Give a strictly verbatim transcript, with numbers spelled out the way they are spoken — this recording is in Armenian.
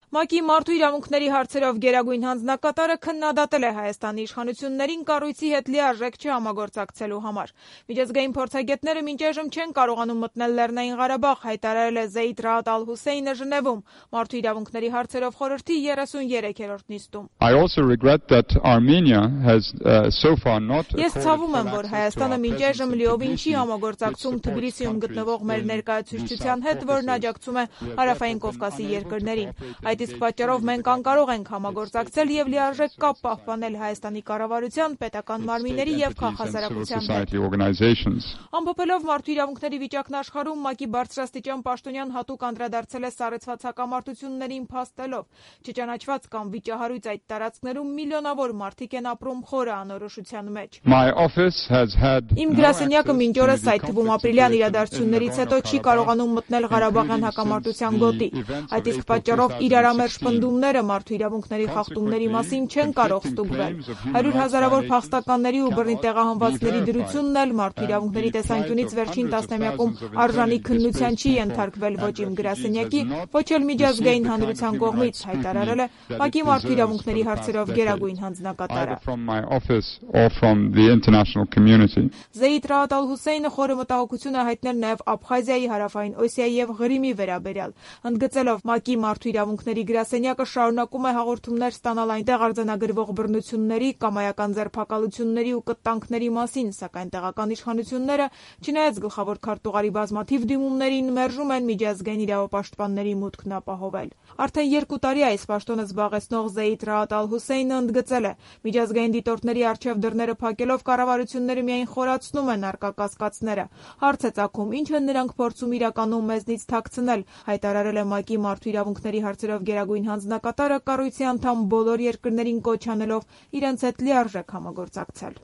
ՄԱԿ-ի մարդու իրավունքների հարցերով գերագույն հանձնակատարը քննադատել է Հայաստանի իշխանություններին կառույցի հետ լիարժեք չհամագործակցելու համար։ Միջազգային փորձագետները մինչ այժմ չեն կարողանում մտնել Լեռնային Ղարաբաղ, հայտարարել է Զեյդ Ռաադ Ալ-Հուսեյնը Ժնևում մարդու իրավունքների հարցերով խորհրդի երեսուներեքերորդ նիստում։ Ես ցավում եմ, որ Հայաստանը մինչ այժմ լիովին չի համագործակցում Թբիլիսիում գտնվող մեր ներկայացուցչության հետ, որն աջակցում է Հարավային Կովկասի երկրներին։ Այդ իսկ պատճառով մենք անկարող ենք համագործակցել եւ լիարժեք կապ պահպանել Հայաստանի կառավարության, պետական մարմինների եւ քաղաքասարակության հետ։ Ամփոփելով մարդու իրավունքների վիճակն աշխարհում, ՄԱԿ-ի բարձրաստիճան պաշտոնյան հատուկ անդրադարձել է սառեցված հակամարտություններին փաստելով, չճանաչված կամ վիճահարույց այդ տարածքներում միլիոնավոր մարդիկ են ապրում խորը անորոշության մեջ։ Իմ գրասենյակը մինչ օրս, այդ թվում ապրիլյան իրադարձություններից հետո, չի կարողանում մտնել Ղարաբաղյան հակամարտության գոտի։ Այդ իսկ պատճառով իրարամերժ պնդումները մարդու իրավունքների խախտումների մասին չեն կարող ստուգվել։ Հարյուր հազարավոր փախստականների ու բռնի տեղահանվածների դրությունն էլ մարդու իրավունքների տեսանկյունից վերջին տասնամյակում արժանի քննության չի ենթարկվել ոչ իմ գրասենյակի, ոչ էլ միջազգային հանրության կողմից, հայտարարել է ՄԱԿ-ի մարդու իրավունքների հարցերով գերագույն հանձնակատարը։ Զեյդ Ռաադ Ալ-Հուսեյնը խորը մտահոգություն է հայտնել նաև Աբխազիայի, Հարավային Օսիայի եւ Ղրիմի վերաբերյալ, ընդգծելով ՄԱԿ-ի մարդու իրավունքների գրասենյակը շարունակում է հաղորդումներ ստանալ այնտեղ արձանագրվող բռնությունների, կամայական ձերբակալությունների ու կտանքների մասին, սակայն տեղական իշխանությունները, չնայած գլխավոր քարտուղարի բազմաթիվ դիմումներին, մերժում են միջազգային իրավապաշտպանների մուտքն ապահովել։ Արդեն երկու տարի այս պաշտոնը զբաղեցնող Զեյդ Ռաադ Ալ-Հուսեյնը ընդգծել է. միջազգային դիտորդների առջև դռները փակելով կառավարությունները միայն խորացնում են առկա կասկածները։ Հարց է ծագում, ինչ են նրանք փորձում իրականում մեզնից թաքցնել, հայտարարել է ՄԱԿ-ի մարդու իրավունքների հարցերով գերագույն հանձնակատարը կառույցի անդամ բոլոր երկրներին կոչ անելով իրենց հետ լիարժեք համագործակցել։